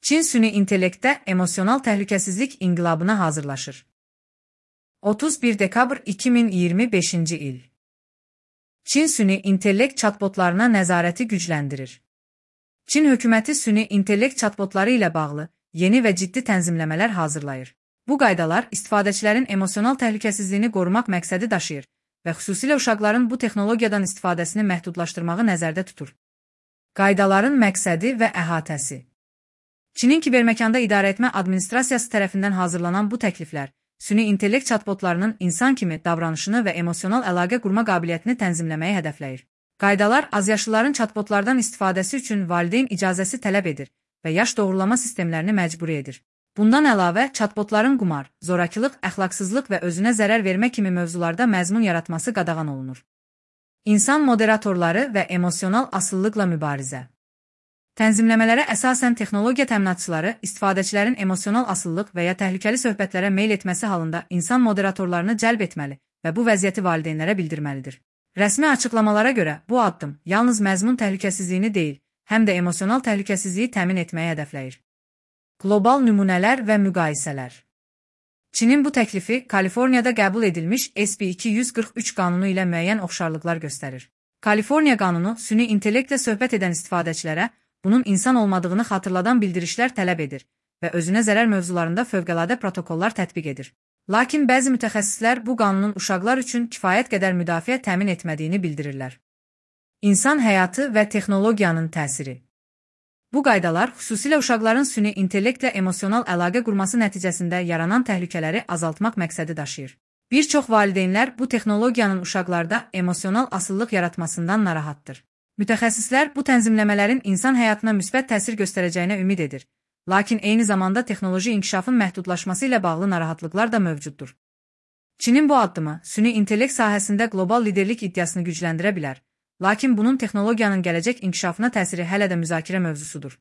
Çin süni intellektdə emosional təhlükəsizlik inqilabına hazırlaşır. 31 dekabr 2025-ci il. Çin süni intellekt chatbotlarına nəzarəti gücləndirir. Çin hökuməti süni intellekt chatbotları ilə bağlı yeni və ciddi tənzimləmələr hazırlayır. Bu qaydalar istifadəçilərin emosional təhlükəsizliyini qorumaq məqsədi daşıyır və xüsusilə uşaqların bu texnologiyadan istifadəsini məhdudlaşdırmağı nəzərdə tutur. Qaydaların məqsədi və əhatəsi. Çinin kiberməkanda idarəetmə administrasiyası tərəfindən hazırlanan bu təkliflər, süni intellekt chatbotlarının insan kimi davranışını və emosional əlaqə qurma qabiliyyətini tənzimləməyi hədəfləyir. Qaydalar azyaşlıların chatbotlardan istifadəsi üçün valideyn icazəsi tələb edir və yaş doğrulama sistemlərini məcburi edir. Bundan əlavə, chatbotların qumar, zorakılıq, əxlaqsızlıq və özünə zərər vermə kimi mövzularda məzmun yaratması qadağan olunur. İnsan moderatorları və emosional asılılıqla mübarizə. Tənzimləmələrə əsasən texnologiya təminatçıları istifadəçilərin emosional asıllıq və ya təhlükəli söhbətlərə meyl etməsi halında insan moderatorlarını cəlb etməli və bu vəziyyəti valideynlərə bildirməlidir. Rəsmi açıqlamalara görə bu addım yalnız məzmun təhlükəsizliyini deyil, həm də emosional təhlükəsizliyi təmin etməyi hədəfləyir. Qlobal nümunələr və müqayisələr. Çinin bu təklifi Kaliforniyada qəbul edilmiş SB 243 qanunu ilə müəyyən oxşarlıqlar göstərir. Kaliforniya qanunu süni intellektlə söhbət edən istifadəçilərə bunun insan olmadığını xatırladan bildirişlər tələb edir və özünə zərər mövzularında fövqəladə protokollar tətbiq edir. Lakin bəzi mütəxəssislər bu qanunun uşaqlar üçün kifayət qədər müdafiə təmin etmədiyini bildirirlər. İnsan həyatı və texnologiyanın təsiri. Bu qaydalar xüsusilə uşaqların süni intellektlə emosional əlaqə qurması nəticəsində yaranan təhlükələri azaltmaq məqsədi daşıyır. Bir çox valideynlər bu texnologiyanın uşaqlarda emosional asıllıq yaratmasından narahatdır. Mütəxəssislər bu tənzimləmələrin insan həyatına müsbət təsir göstərəcəyinə ümid edir. Lakin eyni zamanda texnoloji inkişafın məhdudlaşması ilə bağlı narahatlıqlar da mövcuddur. Çinin bu addımı süni intellekt sahəsində qlobal liderlik iddiasını gücləndirə bilər. Lakin bunun texnologiyanın gələcək inkişafına təsiri hələ də müzakirə mövzusudur.